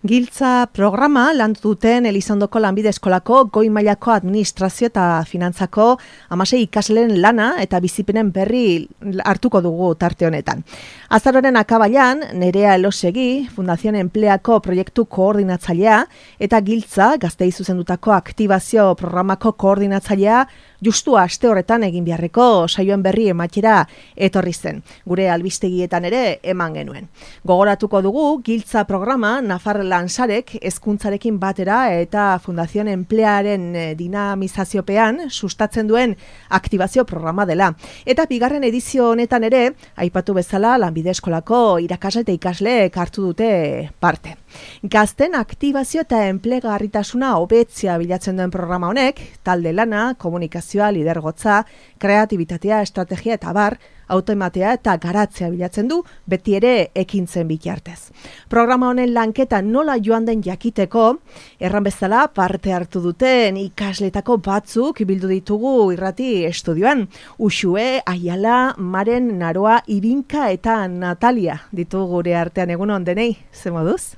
Giltza programa landu duten Elizondoko Lanbide Eskolako goi mailako administrazio eta finantzako 16 ikasleen lana eta bizipenen berri hartuko dugu tarte honetan. Azaroaren akabailan, Nerea Elosegi, Fundación Empleako proiektu koordinatzailea eta Giltza Gazteei zuzendutako aktibazio programako koordinatzailea justu aste horretan egin beharreko saioen berri ematera etorri zen. Gure albistegietan ere eman genuen. Gogoratuko dugu Giltza programa Nafar Lansarek hezkuntzarekin batera eta Fundación Emplearen dinamizaziopean sustatzen duen aktibazio programa dela. Eta bigarren edizio honetan ere, aipatu bezala Lanbide Eskolako irakasle eta ikasleek hartu dute parte. Gazten aktibazio eta enplegarritasuna hobetzea bilatzen duen programa honek, talde lana, komunikazioa, lidergotza, kreatibitatea, estrategia eta bar, autoematea eta garatzea bilatzen du, beti ere ekintzen bitartez. Programa honen lanketa nola joan den jakiteko, erran bezala parte hartu duten ikasletako batzuk bildu ditugu irrati estudioan. Uxue, Aiala, Maren, Naroa, Ibinka eta Natalia ditugu gure artean. Egunon denei, ze moduz?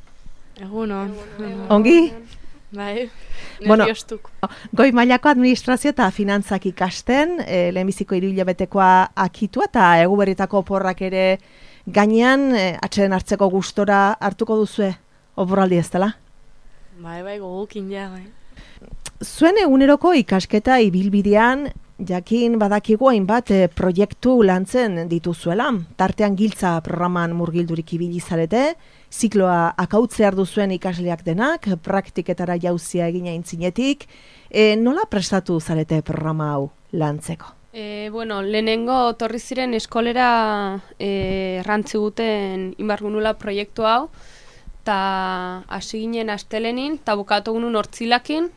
Egunon. Ongi? Bai, Bueno, nerviostuk. goi mailako administrazio eta finantzak ikasten, lehenbiziko 3 hilabetekoa akitua eta eguberritako oporrak ere gainean atxeden hartzeko gustora hartuko duzue oporraldi ez dela? Bai, gogukin ja, bai. Zuen eguneroko ikasketa ibilbidean jakin badakigu hainbat proiektu lantzen dituzuela. Tartean Giltza programan murgildurik ibili zarete, zikloa akautzear duzuen ikasleak denak, praktiketara jauzia egina intzinetik. Nola prestatu zarete programa hau lantzeko? Lehenengo torri ziren eskolera errantzi guten inbargunula proiektu hau, eta hasi ginen astelenin, eta bukatu gunun hortzilakin,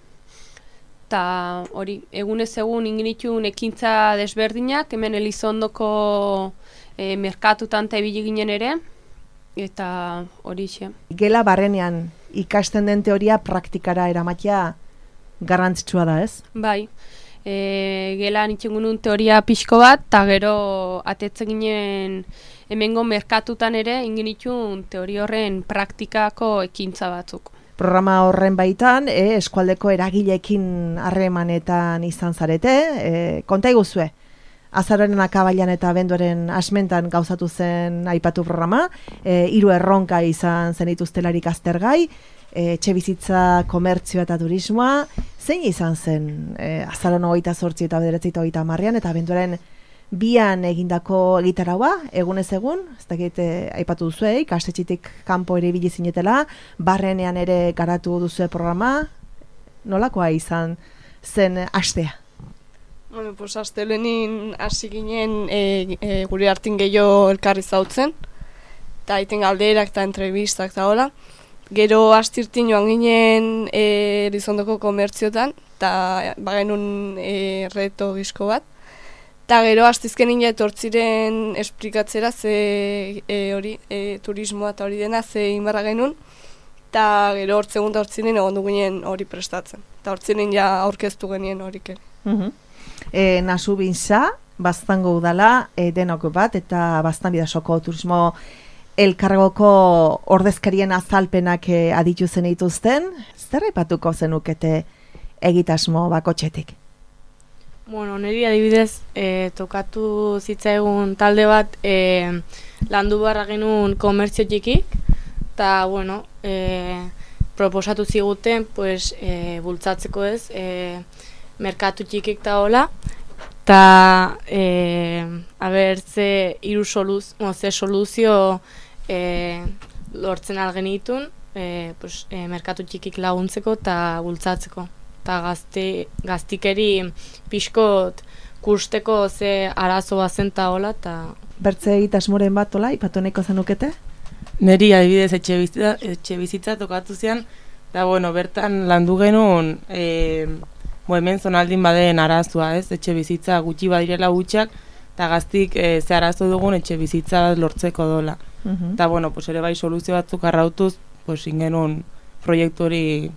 eta hori, egunez egun inginitun ekintza desberdinak, hemen Elizondoko merkatutan eta ibili ginen ere, eta hori xe. Gela barrenean ikasten den teoria praktikara eramatea garrantzitsua da, ez? Bai, gela nintzen gunun teoria pixko bat, eta gero atetzen ginen hemengo merkatutan ere inginitun teoria horren praktikako ekintza batzuk. Programa horren baitan, eskualdeko eragileekin harremanetan izan zarete, konta iguzue. Azaroaren akabailan eta abenduaren asmentan gauzatu zen aipatu programa, 3 erronka izan zenituztelarik aztergai, etxebizitza, komertzioa eta turismoa, zein izan zen azaroan 28 eta 29 eta abenduaren 2an egindako egitaraua, egunez egun, ez dakit aipatu duzue, ikastetxetik kanpo ere ibili zinetela, barrenean ere garatu duzue programa, nolakoa izan zen astea? Astelenin hasi ginen gure hartin gehiago elkarri zautzen, eta aiten galderak eta entrevistak eta hola. Gero astirtin joan ginen Elizondoko komertziotan, eta bagenun reto gizko bat. Eta gero astizkenin etortziren esplikatzera ze turismoa eta hori dena ze inbarra genuen, eta gero hortzegun da hortzinen egon duginen hori prestatzen. Eta hortzinen ja aurkeztu genien horik ere. Nasu Bintza, Baztango udala, denok bat, eta Baztan bidasoko turismo elkargoko ordezkarien azalpenak aditu zen dituzten, zer aipatuko zenukete egitasmo bakotxetik? Niri adibidez, tokatu zitzaigun talde bat landu barra genuen komertzio txikik, eta, proposatu ziguten, bultzatzeko ez, merkatu txikik eta hola, eta ze soluzio lortzen algenitun merkatu txikik laguntzeko eta bultzatzeko. Eta gaztikeri pixkot kusteko ze arazo bazen eta hola. Bertze egitasmoren bat hola, ipatoneko zenukete? Neri adibidez etxe bizitza tokatu zian, eta bertan landu genuen hemen zonaldin baden arazoa, ez? Etxe bizitza gutxi badirela gutxak, eta gaztik ze arazo dugun etxe bizitza lortzeko dola. Eta ere bai soluzio batzuk arrautuz, ingenuen proiektu hori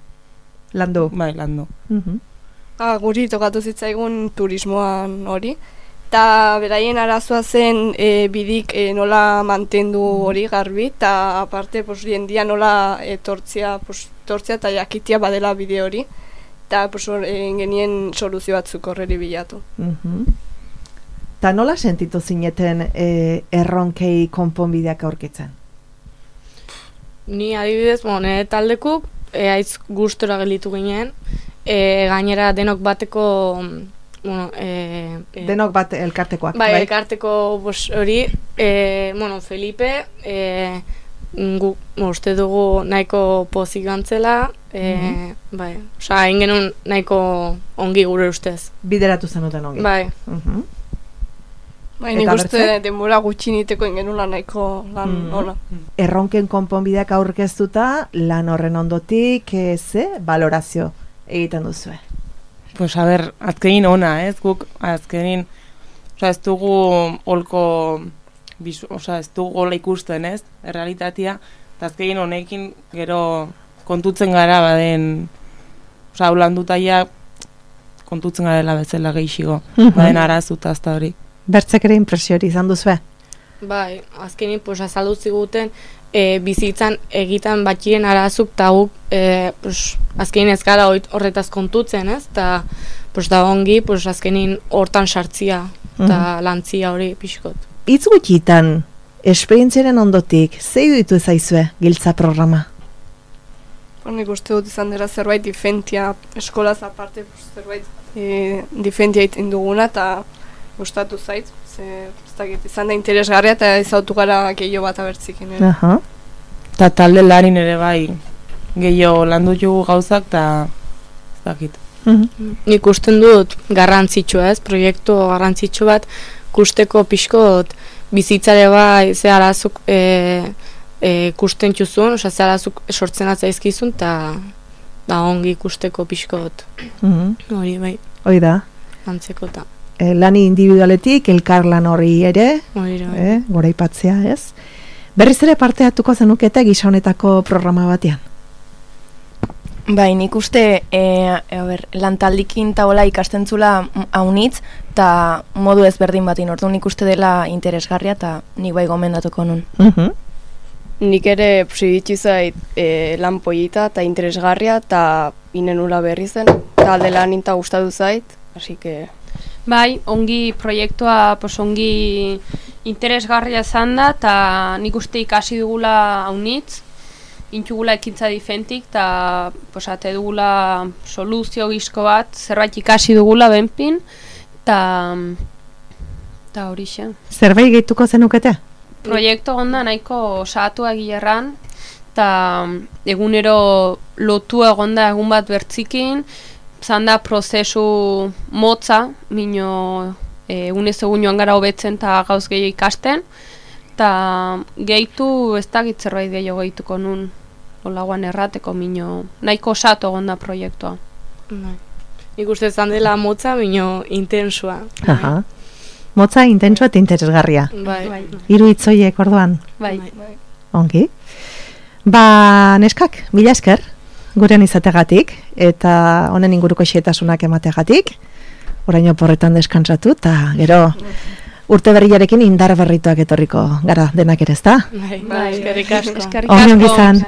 landu. Bai, landu. Guri tokatu zitzaigun turismoan hori, Eta beraien arazoa zen bidik nola mantendu hori garbi, eta aparte jendia nola tortzia eta jakitia badela bide hori, eta genien soluzio batzuk horreri bilatu. Eta nola sentitu zineten erronkei konponbideak aurkitzen? Ni adibidez, nire taldekuk, aiz gustora gelditu ginen, gainera denok bateko... denok bat elkartekoak, bai? Elkarteko hori, Felipe, uste dugu nahiko pozik gantzela, bai, egin genuen nahiko ongi gure ustez. Bideratu zenuten ongi. Bai. Nik uste denbora gutxiniteko ingenula nahiko lan ona. Erronken konponbideak aurkeztuta, lan horren ondotik, balorazio egiten duzue? Pues a ber, azkenin ona, ez? Guk azkenin, ez dugu holko, ez dugu hola ikusten, ez? Errealitatea, eta azkenin honekin gero kontutzen gara baden, holandutaia kontutzen garela bezala gehiago, baden arazuta azta hori. Bertzek ere impresiori izan duzue? Bai, azkenin, azaldu ziguten, bizitzan egiten batxiren arazuk eta guk azkenin ez gara horretaz kontutzen, ez? Eta da ongi azkenin hortan sartzia eta lantzia hori pixkot. Itz gutxitan, esperientziaren ondotik, zei ditu ezaizue giltza programa? Nik uste dut izan dira zerbait difentia, eskolaz aparte zerbait difentia egiten duguna eta gustatu zait. Izan da interesgarria eta izautu gara gehiago bat abertzik. Eta talde larin ere bai gehiago landu jugu gauzak eta ez dakit. Nik usten dut garrantzitsua, ez? Proiektu garrantzitsu bat kusteko pixkot bizitzare bai ze arazuk kusten txuzun, ze arazuk sortzen atzaizkizun eta ongi kusteko pixkot. Hori bai. Hoi da. Antzeko eta. Lani individualetik, elkarlan hori ere, goraipatzea, ez? Berriz ere parte hartuko zenukete gisa honetako programa batean? Bai, nik uste lantaldikin taola ikastentzula haunitz, eta modu ezberdin batin ordu nik uste dela interesgarria, eta nik bai gomendatuko nun. Nik ere iritsi zait lan polita eta interesgarria, eta inenula berri zen, eta alde lan inta gustatu zait, hasi que... Bai, ongi proiektua ongi interesgarria izan da, eta nik uste ikasi dugula haunitz, intxugula ekintza difentik, eta ate dugula soluzio gizko bat, zerbait ikasi dugula benpin, eta hori xe. Zerbait gehituko zenukete? Proiektu onda nahiko osatu egilerran, eta egunero lotu egonda egun bat bertzikin, zan da prozesu motza, mino egunez egun joan gara hobetzen eta gauz gehiago ikasten, eta gehitu ez dakit zerbait gehiago gehituko nun olagoan errateko mino, nahiko osatu egon da proiektua. Nik uste zan dela motza, mino intensua. Motza, intensua eta interesgarria. Bai. Hiru hitzoiek orduan. Bai. Ongi. Neskak, mila esker gurean izategatik, eta honen inguruko xehetasunak emategatik, oraino porretan deskantzatu, eta gero urte berriarekin indar berrituak etorriko gara denak ere, ezta? Bai, eskerrik asko. Ongi izan.